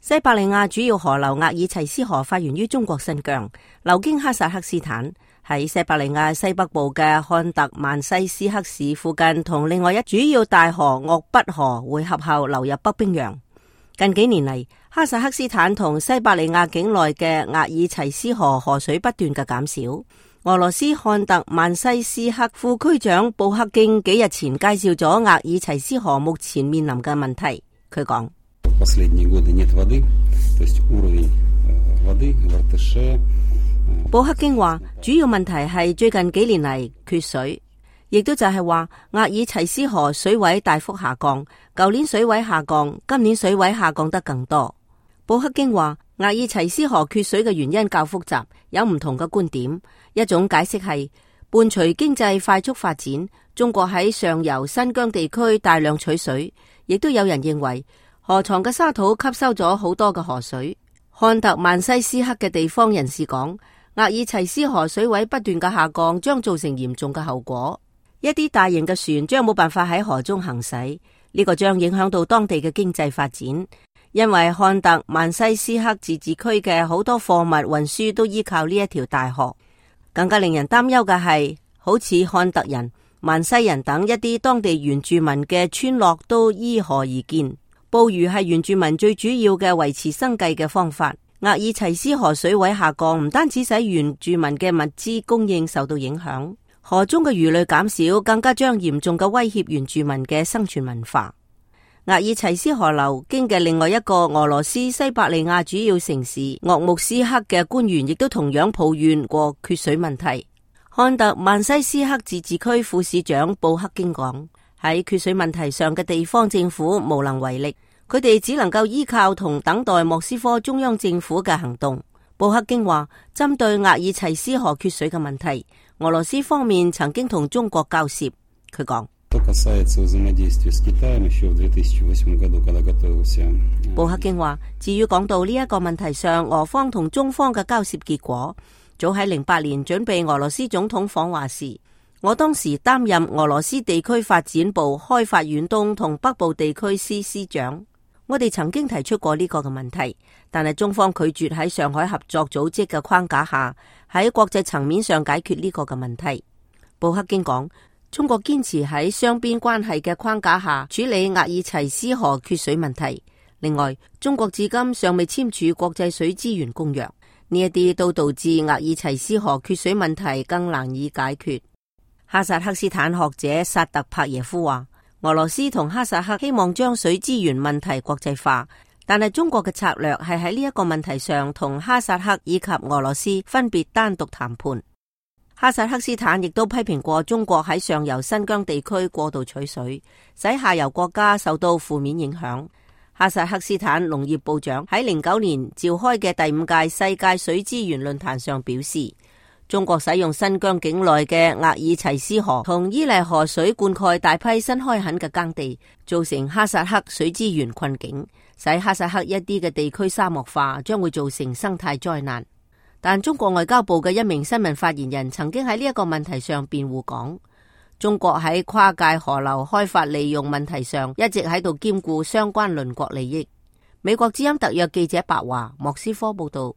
西伯利亞主要河流額爾齊斯河發源於中國新疆，流經哈薩克斯坦，喺西伯利亞西北部嘅漢特曼西斯克市附近，同另外一主要大河鄂畢河匯合後流入北冰洋。近幾年嚟，哈薩克斯坦同西伯利亞境內嘅額爾齊斯河河水不斷嘅減少。俄羅斯漢特曼西斯克副區長布克京幾日前介紹咗額爾齊斯河目前面臨嘅問題。佢講：布克京話，主要問題係最近幾年嚟缺水，亦都就係話額爾齊斯河水位大幅下降，舊年水位下降，今年水位下降得更多。布克京話，額爾齊斯河缺水嘅原因較複雜，有唔同嘅觀點。一種解釋係伴隨經濟快速發展，中國喺上游新疆地區大量取水，亦都有人認為河床嘅沙土吸收咗好多嘅河水。漢特曼西斯克嘅地方人士講，額爾齊斯河水位不斷嘅下降將造成嚴重嘅後果，一啲大型嘅船將冇辦法喺河中行駛，呢個將影響到當地嘅經濟發展。因為漢特曼西斯克自治區嘅好多貨物運輸都依靠呢一條大河。更加令人擔憂嘅係，好似漢特人、曼西人等一啲當地原住民嘅村落都依河而建。捕魚係原住民最主要嘅維持生計嘅方法。額爾齊斯河水位下降，唔單止使原住民嘅物資供應受到影響，河中嘅魚類減少，更加將嚴重嘅威脅原住民嘅生存文化。額爾齊斯河流經嘅另外一個俄羅斯西伯利亞主要城市鄂木斯克嘅官員亦都同樣抱怨過缺水問題。漢特曼西斯克自治區副市長布克京講，喺缺水問題上嘅地方政府無能為力，佢哋只能夠依靠同等待莫斯科中央政府嘅行動。布克京話，針對額爾齊斯河缺水嘅問題，俄羅斯方面曾經同中國交涉。佢講，布克京話，至於講到呢一個問題上，俄方同中方嘅交涉結果，早喺08年準備俄羅斯總統訪華時，我當時擔任俄羅斯地區發展部開發遠東同北部地區司司長。我哋曾經提出過呢個嘅問題，但係中方拒絕喺上海合作組織嘅框架下，喺國際層面上解決呢個嘅問題。布克京講，中國堅持喺雙邊關係嘅框架下處理額爾齊斯河缺水問題。另外，中國至今尚未簽署國際水資源公約，呢一啲都導致額爾齊斯河缺水問題更難以解決。哈薩克斯坦學者薩特帕耶夫話，俄羅斯同哈薩克希望將水資源問題國際化，但係中國嘅策略係喺呢一個問題上同哈薩克以及俄羅斯分別單獨談判。哈薩克斯坦亦都批評過中國喺上游新疆地區過度取水，使下游國家受到負面影響。哈薩克斯坦農業部長喺09年召開嘅第5屆世界水資源論壇上表示，中國使用新疆境內嘅額爾齊斯河同伊犁河水灌溉大批新開墾嘅耕地，造成哈薩克水資源困境，使哈薩克一啲嘅地區沙漠化，將會造成生態災難。但中國外交部嘅一名新聞發言人曾經喺呢一個問題上辯護講，中國喺跨界河流開發利用問題上一直喺度兼顧相關鄰國利益。美國之音特約記者白華莫斯科報道。